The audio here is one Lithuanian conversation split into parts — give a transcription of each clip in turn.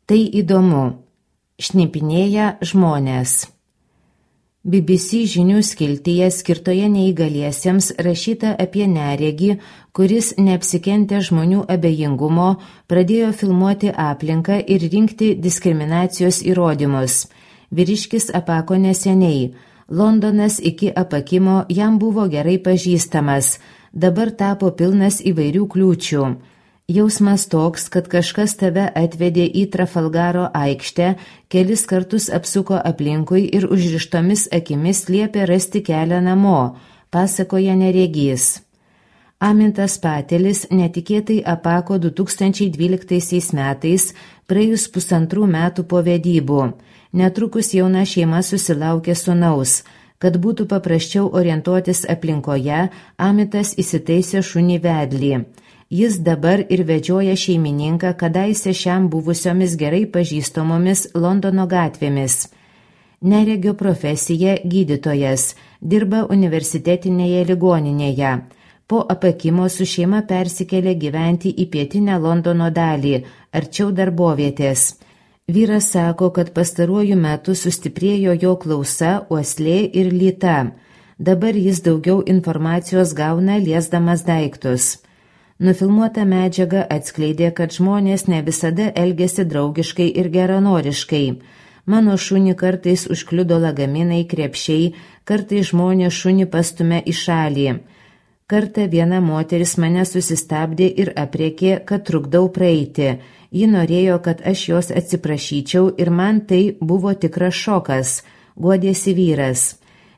Tai įdomu. Šnipinėja žmonės. BBC žinių skiltyje skirtoje neįgaliesiems rašyta apie neregį, kuris neapsikentė žmonių abejingumo, pradėjo filmuoti aplinką ir rinkti diskriminacijos įrodymus. Vyriškis apako neseniai. Londonas iki apakimo jam buvo gerai pažįstamas, dabar tapo pilnas įvairių kliūčių. Jausmas toks, kad kažkas tave atvedė į Trafalgaro aikštę, kelis kartus apsuko aplinkui ir užrištomis akimis liepė rasti kelią namo, pasakoja neregys. Amintas Patelis netikėtai apako 2012 metais, praėjus 1,5 metų po vedybų. Netrukus jauna šeima susilaukė sūnaus. Kad būtų paprasčiau orientuotis aplinkoje, Amitas įsitaisė šunį vedlį. Jis dabar ir vedžioja šeimininką kadaise šiam buvusiomis gerai pažįstamomis Londono gatvėmis. Neregio profesija gydytojas, dirba universitetinėje ligoninėje. Po apakimo su šeima persikėlė gyventi į pietinę Londono dalį, arčiau darbovietės. Vyras sako, kad pastaruoju metu sustiprėjo jo klausa, uoslė ir lyta. Dabar jis daugiau informacijos gauna liesdamas daiktus. Nufilmuota medžiaga atskleidė, kad žmonės ne visada elgėsi draugiškai ir geranoriškai. Mano šunį kartais užkliudo lagaminai, krepšiai, kartais žmonės šunį pastumė į šalį. Kartą viena moteris mane susistabdė ir aprėkė, kad trukdau praeiti. Ji norėjo, kad aš jos atsiprašyčiau ir man tai buvo tikras šokas, guodėsi vyras.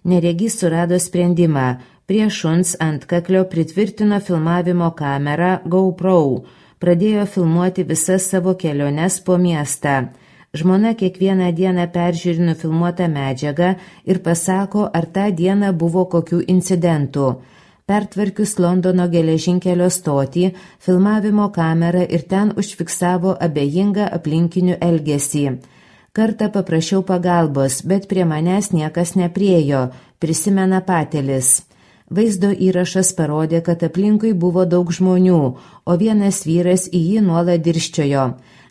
Neregys surado sprendimą. Prie šuns antkaklio pritvirtino filmavimo kamerą GoPro, pradėjo filmuoti visas savo keliones po miestą. Žmona kiekvieną dieną peržiūri nufilmuotą medžiagą ir pasako, ar tą dieną buvo kokių incidentų. Pertvarkius Londono geležinkelio stotį, filmavimo kamerą ir ten užfiksavo abejingą aplinkinių elgesį. Kartą paprašiau pagalbos, bet prie manęs niekas nepriejo, prisimena Patelis. Vaizdo įrašas parodė, kad aplinkui buvo daug žmonių, o vienas vyras į jį nuolat dirščiojo.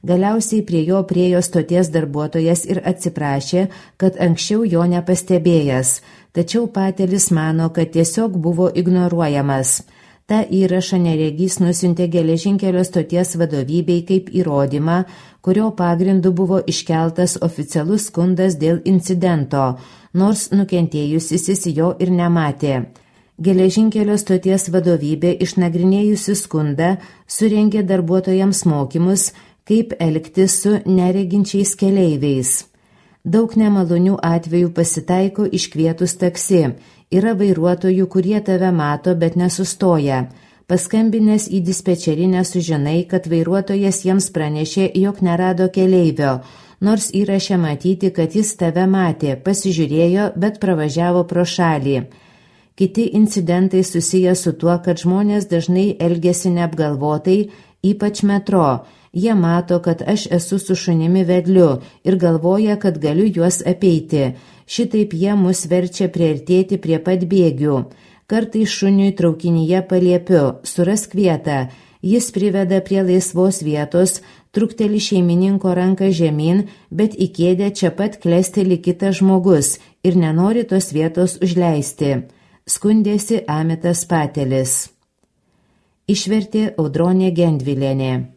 Galiausiai prie jo priejo stoties darbuotojas ir atsiprašė, kad anksčiau jo nepastebėjęs, tačiau Patelis mano, kad tiesiog buvo ignoruojamas. Ta įrašą neregys nusiuntė geležinkelio stoties vadovybei kaip įrodymą, kurio pagrindu buvo iškeltas oficialus skundas dėl incidento, nors nukentėjusysis jo ir nematė. Geležinkelio stoties vadovybė išnagrinėjusi skundą surengė darbuotojams mokymus, kaip elgtis su nereginčiais keleiviais. Daug nemalonių atvejų pasitaiko iškvietus taksi. Yra vairuotojų, kurie tave mato, bet nesustoja. Paskambinęs į dispečerinę sužinai, kad vairuotojas jiems pranešė, jog nerado keleivio, nors įraše matyti, kad jis tave matė, pasižiūrėjo, bet pravažiavo pro šalį. Kiti incidentai susiję su tuo, kad žmonės dažnai elgiasi neapgalvotai, ypač metro. Jie mato, kad aš esu su šunimi vedliu ir galvoja, kad galiu juos apeiti. Šitaip jie mus verčia priartėti prie pat bėgių. Kartais šuniui traukinyje paliepiu, surask vietą. Jis priveda prie laisvos vietos, trukteli šeimininko ranką žemyn, bet į kėdę čia pat klesteli kitas žmogus ir nenori tos vietos užleisti. Skundėsi Amitas Patelis. Išvertė Audronė Gendvilienė.